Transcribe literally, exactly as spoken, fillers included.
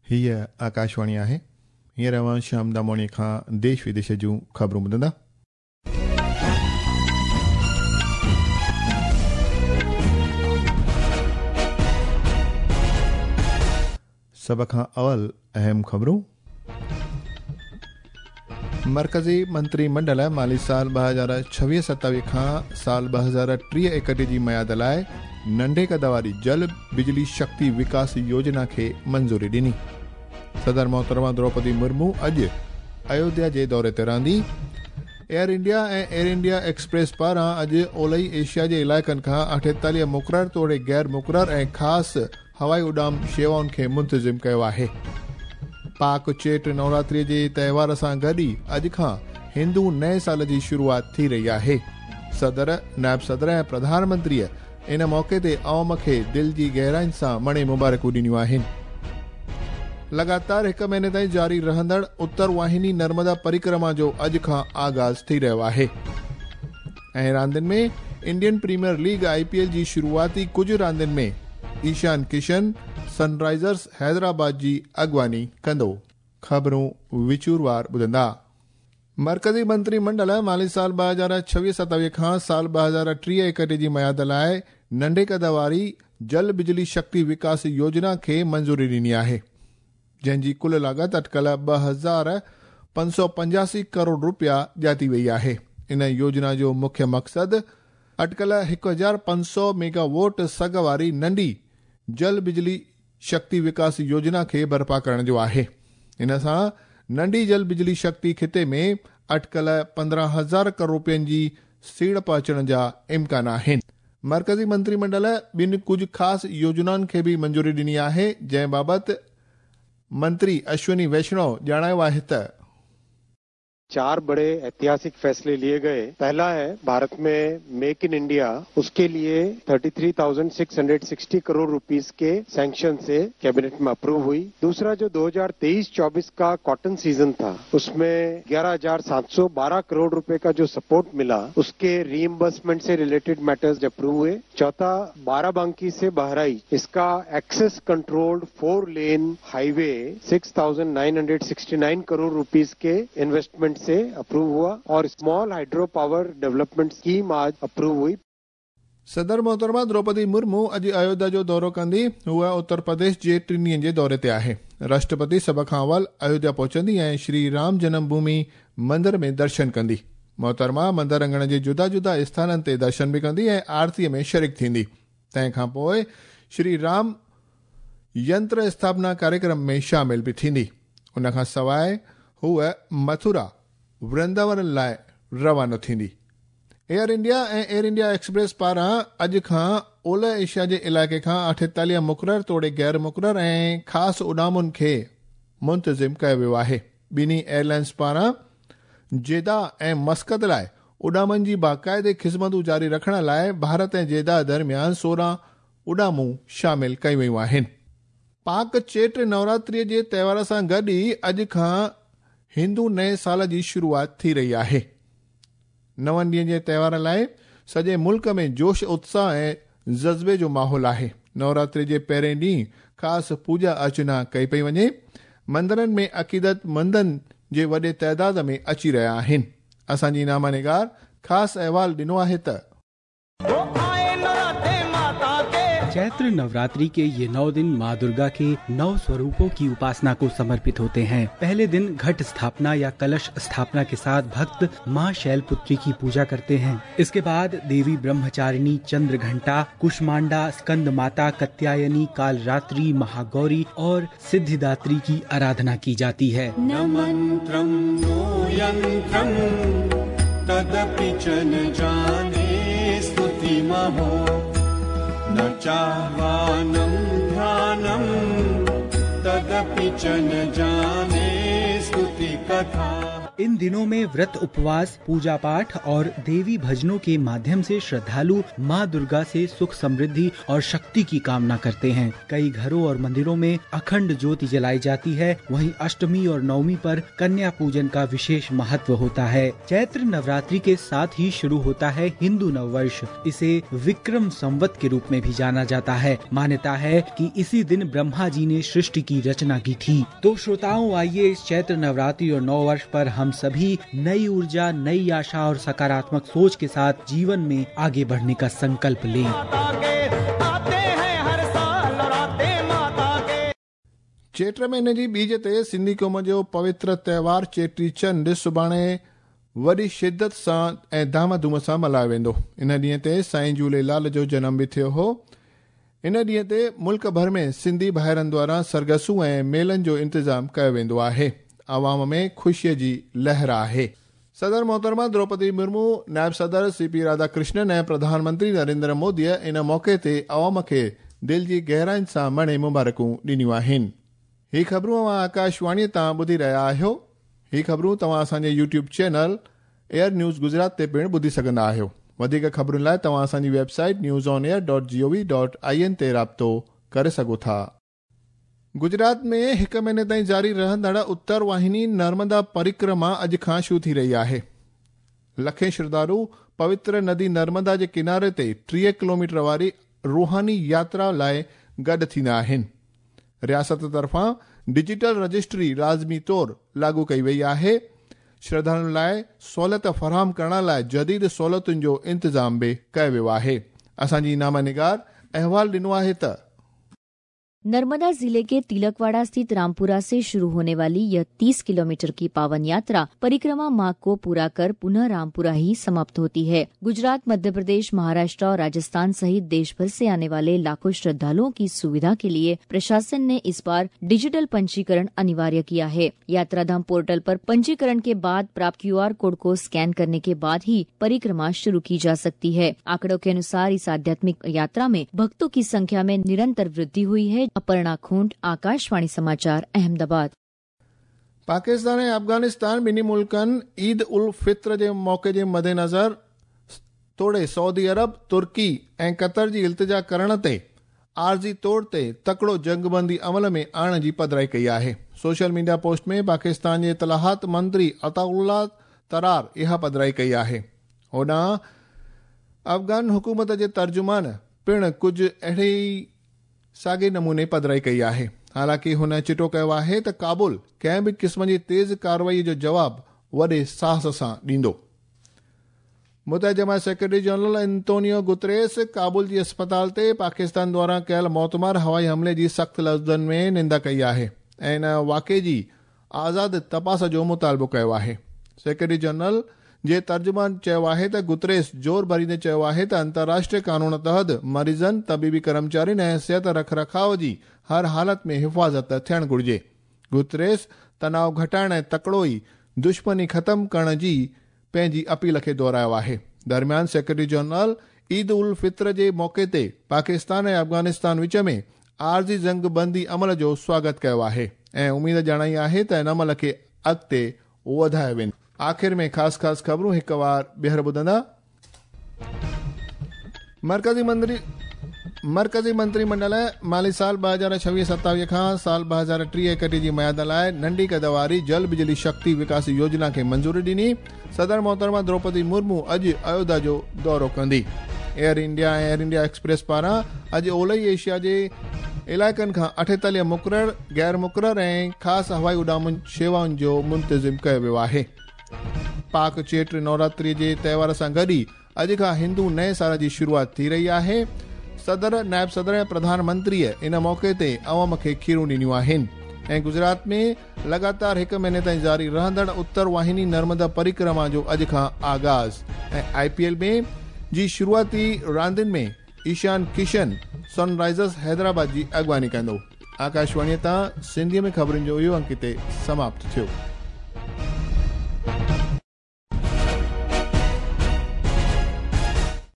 हीअ आकाशवाणी आहे। हींअर अव्हां श्याम दामोणी खां देश विदेश जूं ख़बरूं ॿुधंदा। सभ खां अवल अहम ख़बरूं। मर्कज़ी मंत्री मंडल माली साल ॿ हज़ार छवीह सतावीह खां साल ॿ हज़ार टीह एकटीह जी मयाद लाइ नंढे कद वारी जल बिजली शक्ति विकास योजना खे मंज़ूरी ॾिनी। सदर मोहतरमा द्रौपदी मुर्मू अॼु अयोध्या जे दौरे ते रहंदी। एयर इंडिया ऐं एयर इंडिया एक्सप्रेस पारां अॼु ओलही एशिया जे इलाइक़नि खां अठेतालीह मुक़रर तोड़े गैर मुक़रर ऐं ख़ासि हवाई उॾाम शेवाउनि खे मुंतज़िम कयो आहे। पाक चेट नवरात्रीअ जे त्योहार सां गॾु ई अॼु खां हिंदू नए साल जी शुरूआत थी रही आहे। सदर, नायब सदर ऐं प्रधानमंत्रीअ इन मौक़े ते अवाम खे दिलि जी गहराइनि सां मणे मुबारकूं ॾिनियूं आहिनि। लगातार हिकु महीने ताईं जारी रहंदड़ उत्तर वाहिनी नर्मदा परिक्रमा जो अॼु खां आगाज़ थी रहियो आहे। ऐं रांदियुनि में Indian Premier League I P L जी शुरूआती कुझु रांदियुनि में ईशान किशन सनराइज़र्स हैदराबाद जी अॻुवानी कंदो। ख़बरूं विचूरवार ॿुधंदा। मर्कज़ी मंत्री मंडल माली साल ॿ हज़ार छवीह सतावीह खां साल ॿ हज़ार टीह एकटीह जी मयाद लाइ नंढे कद वारी जल बिजली शक्ति विकास योजना खे मंज़ूरी ॾिनी आहे, जंहिंजी कुल लागत अटकल ॿ हज़ार पंज सौ पंजासी करोड़ रुपया ॼाती वई आहे। इन योजना जो मुख्य मक़सदु अटकल हिकु हज़ार पंज सौ मेगावोट सघ वारी नंढी जल बिजली शक्ति विकास योजना खे बर्पा करण जो आहे। इन सां नंढी जल बिजली शक्ति खिते में अटकल पंद्रहं हज़ार करोड़ रुपयनि जी सीड़प अचण जा इम्कान आहिनि। मर्कज़ी मंत्रीमंडल ॿिनि कुझु ख़ासि योजनाउनि खे बि मंज़ूरी ॾिनी आहे, जंहिं बाबति मंत्री अश्विनी वैष्णव ॼाणायो आहे त चार बड़े ऐतिहासिक फैसले लिए गए। पहला है भारत में मेक इन इंडिया, उसके लिए तैंतीस हज़ार छह सौ साठ करोड़ रुपीस के सैंक्शन से कैबिनेट में अप्रूव हुई। दूसरा जो दो हज़ार तेईस चौबीस का कॉटन सीजन था, उसमें ग्यारह हज़ार सात सौ बारह करोड़ रुपए का जो सपोर्ट मिला, उसके रीइंबर्समेंट से रिलेटेड मैटर्स अप्रूव हुए। चौथा, बाराबंकी से बहराइच, इसका access controlled four lane highway six thousand nine hundred sixty nine crore rupees के इन्वेस्टमेंट से अप्रूव हुआ और small hydro power development scheme आज अप्रूव हुई। सदर मोहतरमा द्रौपदी मुर्मू अॼु अयोध्या जो दौरो कंदी। हूअ उत्तर प्रदेश जे टिनि ॾींहंनि जे दौरे ते आहे। राष्ट्रपति सभ खां अवल अयोध्या पहुचंदी ऐं श्री राम जन्मभूमि मंदिर में दर्शन कंदी। मोहतरमा मंदिर अंगण जे जुदा जुदा स्थाननि ते दर्शन बि कंदी ऐं आरतीअ में शरीक थींदी। तंहिं खां पोइ श्री राम यंत्र स्थापना कार्यक्रम में शामिल बि थींदी। उन खां सवाइ हूअ मथुरा वृंदावन लाइ रवानो थींदी। एयर इंडिया ऐं एयर इंडिया एक्सप्रेस पारां अॼु खां ओलह एशिया जे इलाइक़े खां अठेतालीह मुक़रर तोड़े गैर मुक़रर ऐं ख़ासि उॾामुनि खे मुंतज़िम कयो वियो आहे। ॿिन्ही एयरलाइंस पारां जेदा ऐं मस्कत लाइ उॾामनि जी बाक़ाइदे ख़िज़मतूं जारी रखण लाइ भारत ऐं जेदा दरमियान सोरहं उॾामूं शामिल कयूं वयूं आहिनि। पाक चेट नवरात्रीअ जे त्योहार सां गॾु ई अॼु खां हिंदू नए साल जी शुरूआत थी रही आहे। नवनि ॾींहंनि जे त्योहार लाइ सॼे मुल्क में जोश, उत्साह ऐं जज़्बे जो माहौल आहे। नवरात्रि जे पहिरें ॾींहुं ख़ासि पूॼा अर्चना कई पई वञे। मंदिरनि में अक़ीदतमंदनि जे वॾे तादाद में अची रहिया आहिनि। असांजी नामा निगार ख़ासि अहवाल ॾिनो आहे त चैत्र नवरात्रि के ये नौ दिन माँ दुर्गा के नौ स्वरूपों की उपासना को समर्पित होते हैं। पहले दिन घट स्थापना या कलश स्थापना के साथ भक्त माँ शैलपुत्री की पूजा करते हैं। इसके बाद देवी ब्रह्मचारिणी, चंद्रघंटा, कुष्मांडा, स्कंद माता, कत्यायनी, कालरात्रि, महागौरी और सिद्धिदात्री की आराधना की जाती है। न मंत्रं नो यंत्रं तदपि च न जाने स्तुतिमहो न चाह्वानं ध्यानं तदपि च न जाने स्तुतिकरम्। कथा। इन दिनों में व्रत, उपवास, पूजा पाठ और देवी भजनों के माध्यम से श्रद्धालु माँ दुर्गा से सुख, समृद्धि और शक्ति की कामना करते हैं। कई घरों और मंदिरों में अखंड ज्योति जलाई जाती है। वहीं अष्टमी और नवमी पर कन्या पूजन का विशेष महत्व होता है। चैत्र नवरात्रि के साथ ही शुरू होता है हिंदू नववर्ष। इसे विक्रम संवत के रूप में भी जाना जाता है। मान्यता है कि इसी दिन ब्रह्मा जी ने सृष्टि की रचना की थी। तो श्रोताओं, आइए इस चैत्र नवरात्रि और नववर्ष पर हम सभी नई ऊर्जा, नई आशा और सकारात्मक सोच के साथ जीवन में आगे बढ़ने का संकल्प लें। चेट महीने जी बीज ते सिंधी क़ौम जो पवित्र त्योहार चेटी चंड सुभाणे वॾी शिद्दत सां ऐं धाम धूम सां मल्हायो वेंदो। इन ॾींहं ते साईं झूलेलाल जो जनम बि थियो हो। इन ॾींहं ते मुल्क भर में सिंधी भाइरनि द्वारा सरगसूं ऐं मेलनि जो इंतज़ाम कयो वेंदो आहे। आवाम में ख़ुशीअ जी लहर आहे। सदर मोहतरमा द्रौपदी मुर्मू, नायब सदर सी पी राधाकृष्णन ऐं प्रधानमंत्री नरेंद्र मोदीअ इन मौक़े ते आवाम खे दिलि जी गहराइनि सां मणे मुबारकूं ॾिनियूं आहिनि। ही ख़बरूं अव्हां आकाशवाणीअ तां ॿुधी रहिया आहियो। ही ख़बरूं तव्हां असांजे YouTube channel Air News Gujarat ते पिणु ॿुधी सघंदा आहियो। वधीक ख़बरुनि लाइ तव्हां असांजी website news on air dot G O V dot I N ते राब्तो करे सघो था। गुजरात में हिकु महीने ताईं जारी रहंदड़ उत्तर वाहिनी नर्मदा परिक्रमा अॼु खां शुरू थी रही आहे। लखें श्रद्धालु पवित्र नदी नर्मदा जे किनारे ते टीह किलोमीटर वारी रूहानी यात्रा लाइ गॾु थींदा आहिनि। रियासत तरफ़ां डिजिटल रजिस्ट्री लाज़मी तौर लागू कई वई आहे। श्रद्धालुनि लाइ सहूलियत फराहम करण लाइ जदीद सहूलियतुनि जो इंतज़ाम बि कयो वियो आहे। असांजी नामा निगार अहवाल ॾिनो आहे त नर्मदा जिले के तिलकवाड़ा स्थित रामपुरा से शुरू होने वाली यह तीस किलोमीटर की पावन यात्रा परिक्रमा मार्ग को पूरा कर पुनः रामपुरा ही समाप्त होती है। गुजरात, मध्य प्रदेश, महाराष्ट्र और राजस्थान सहित देश भर से आने वाले लाखों श्रद्धालुओं की सुविधा के लिए प्रशासन ने इस बार डिजिटल पंजीकरण अनिवार्य किया है। यात्राधाम पोर्टल पर पंजीकरण के बाद प्राप्त क्यू आर कोड को स्कैन करने के बाद ही परिक्रमा शुरू की जा सकती है। आंकड़ों के अनुसार इस आध्यात्मिक यात्रा में भक्तों की संख्या में निरंतर वृद्धि हुई है। अपर्णा खूंट, आकाशवाणी समाचार, अहमदाबाद। पाकिस्तान ऐं अफ़गानिस्तान ॿिन्ही मुल्कनि ईद उल फित्र जे मौक़े जे मद्देनज़र तोड़े सऊदी अरब, तुर्की ऐं कतर जी इल्तिजा करण ते आर्ज़ी तौर ते तकड़ो जंगबंदी अमल में आणण जी पधराई कई आहे। सोशल मीडिया पोस्ट में पाकिस्तान जे इतलाहात मंत्री अताउल्ला तरार इहा पधराई कई आहे। होॾां अफ़गान हुकूमत जे तर्जुमान पिणु कुझु अहिड़े ई साॻे नमूने पधराई कई आहे। हालांकि हुन चिटो कयो आहे त काबुल कंहिं बि क़िस्म जी तेज़ कार्रवाई जो जवाब वॾे साहस सां ॾींदो। मुतहदा जमात secretary general Antonio Guterres Kabul जी अस्पताल ते पाकिस्तान द्वारा कयल मौतमार हवाई हमले जी सख़्त लफ़्ज़नि में निंदा कई आहे ऐं इन वाक़े जी आज़ाद तपास जो मुतालबो कयो आहे। सेक्रेटरी जनरल जे तर्जुमान चयो आहे त गुतरेस जोर भरींदे चयो आहे त अंतर्राष्ट्रीय कानून तहत मरीज़नि, तबीबी कर्मचारियुनि ऐं सिहत रखरखाव जी हर हालत में हिफ़ाज़त थियणु घुरिजे। गुतरेस तनाव घटाइण ऐं तकड़ो ई दुश्मनी ख़त्म करण जी पंहिंजी अपील खे दोहरायो आहे। दरमियान सेक्रेटरी जनरल ईद उल फित्र जे मौक़े ते पाकिस्तान ऐं अफ़गानिस्तान विच में आर्ज़ी जंगबंदी अमल जो स्वागत कयो आहे ऐं उमेद ॼाणाई आहे त इन अमल खे अॻिते वधायो वेंदो। आख़िर में ख़ासि ख़ासि ख़बरूं हिकु वार ॿीहर ॿुधंदा। मरकज़ी मंत्री मरकज़ी मंत्रीमंडल माली साल ॿ हज़ार छवीह सतावीह खां साल ॿ हज़ार टीह एकटीह जी मयाद लाइ नंढी कद वारी जल बिजली शक्ति विकास योजना खे मंज़ूरी ॾिनी। सदर मोहतरमा द्रौपदी मुर्मू अॼु अयोध्या जो दौरो कंदी। एयर इंडिया ऐं एयर इंडिया एक्सप्रेस पारां अॼु ओलई एशिया जे इलाइक़नि खां अठेतालीह मुक़रर, गैर मुक़रर ऐं ख़ासि हवाई उॾाम शेवाउनि जो मुंतज़िम कयो वियो आहे। पाक चेट नवरात्रि जे त्योहार सां गॾु ई अॼु खां हिंदू नए साल जी शुरूआत थी रही आहे। सदर, नायब सदर ऐं प्रधानमंत्रीअ इन मौक़े ते अवाम खे खीरूं ॾिनियूं आहिनि। ऐं गुजरात में लगातार हिकु महीने ताईं जारी रहंदड़ उत्तर वाहिनी नर्मदा परिक्रमा जो अॼु खां आगाज़। ऐं I P L में जी शुरूआती रांदियुनि में ईशान किशन सनराइज़र्स हैदराबाद जी अॻुवानी कंदो। आकाशवाणीअ तां सिंधीअ में ख़बरुनि जो इहो अंक हिते समाप्त थियो।